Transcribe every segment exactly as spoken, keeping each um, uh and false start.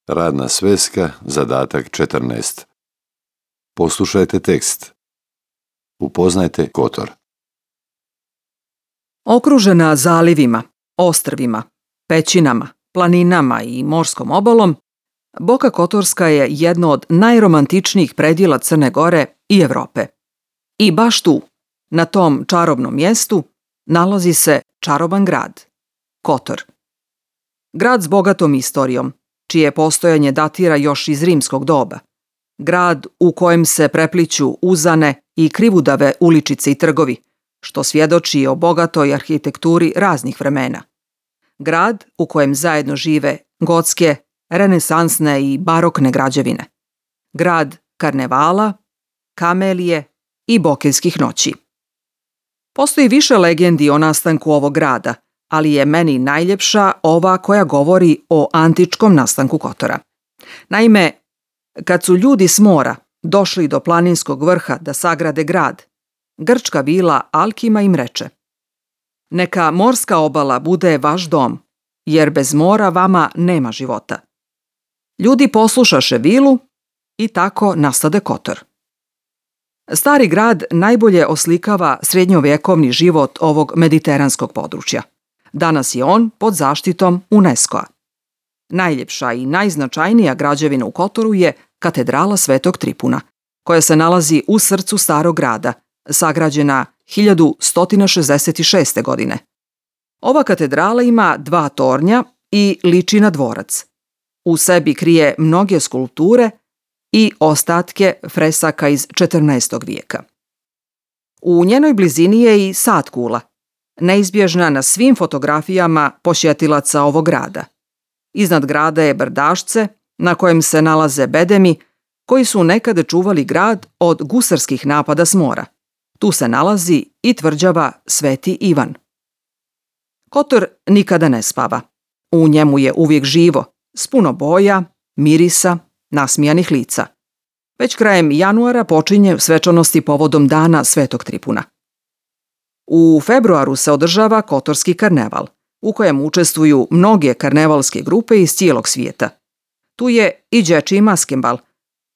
Radna sveska, zadatak četrnaest. Poslušajte tekst. Upoznajte Kotor. Okružena zalivima, ostrvima, pećinama, planinama i morskom obalom, Boka Kotorska je jedno od najromantičnijih predjela Crne Gore i Evrope. I baš tu, na tom čarobnom mjestu, nalazi se čaroban grad, Kotor. Grad s bogatom istorijom, čije postojanje datira još iz rimskog doba. Grad u kojem se prepliću uzane i krivudave uličice i trgovi, što svjedoči o bogatoj arhitekturi raznih vremena. Grad u kojem zajedno žive gotske, renesansne i barokne građevine. Grad karnevala, kamelije i bokeljskih noći. Postoji više legendi o nastanku ovog grada, ali je meni najljepša ova koja govori o antičkom nastanku Kotora. Naime, kad su ljudi s mora došli do planinskog vrha da sagrade grad, grčka vila Alkima im reče: "Neka morska obala bude vaš dom, jer bez mora vama nema života." Ljudi poslušaše vilu i tako nastade Kotor. Stari grad najbolje oslikava srednjovjekovni život ovog mediteranskog područja. Danas je on pod zaštitom UNESCO-a. Najljepša i najznačajnija građevina u Kotoru je katedrala Svetog Tripuna, koja se nalazi u srcu starog grada, sagrađena hiljadu sto šezdeset šeste. godine. Ova katedrala ima dva tornja i liči na dvorac. U sebi krije mnoge skulpture i ostatke fresaka iz četrnaestog vijeka. U njenoj blizini je i sad kula, neizbježna na svim fotografijama posjetilaca ovog grada. Iznad grada je brdašce na kojem se nalaze bedemi koji su nekada čuvali grad od gusarskih napada s mora. Tu se nalazi i tvrđava Sveti Ivan. Kotor nikada ne spava. U njemu je uvijek živo, s puno boja, mirisa, nasmijanih lica. Već krajem januara počinje svečanosti povodom dana Svetog Tripuna. U februaru se održava Kotorski karneval, u kojem učestvuju mnoge karnevalske grupe iz cijelog svijeta. Tu je i dječji maskembal,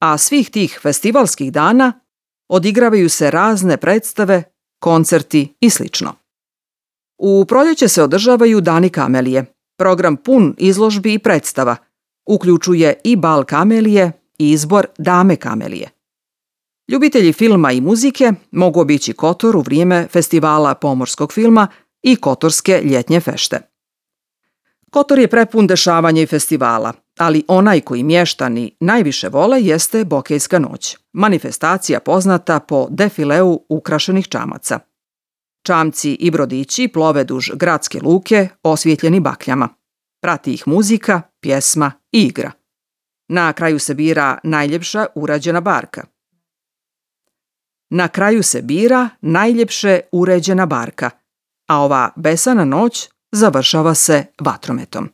a svih tih festivalskih dana odigravaju se razne predstave, koncerti i sl. U proljeće se održavaju dani kamelije, program pun izložbi i predstava, uključuje i bal kamelije i izbor dame kamelije. Ljubitelji filma i muzike mogu obići Kotor u vrijeme festivala pomorskog filma i Kotorske ljetnje fešte. Kotor je prepun dešavanja i festivala, ali onaj koji mještani najviše vole jeste Bokeljska noć, manifestacija poznata po defileu ukrašenih čamaca. Čamci i brodići plove duž gradske luke osvjetljeni bakljama. Prati ih muzika, pjesma i igra. Na kraju se bira najljepša urađena barka. Na kraju se bira najljepše uređena barka, a ova besana noć završava se vatrometom.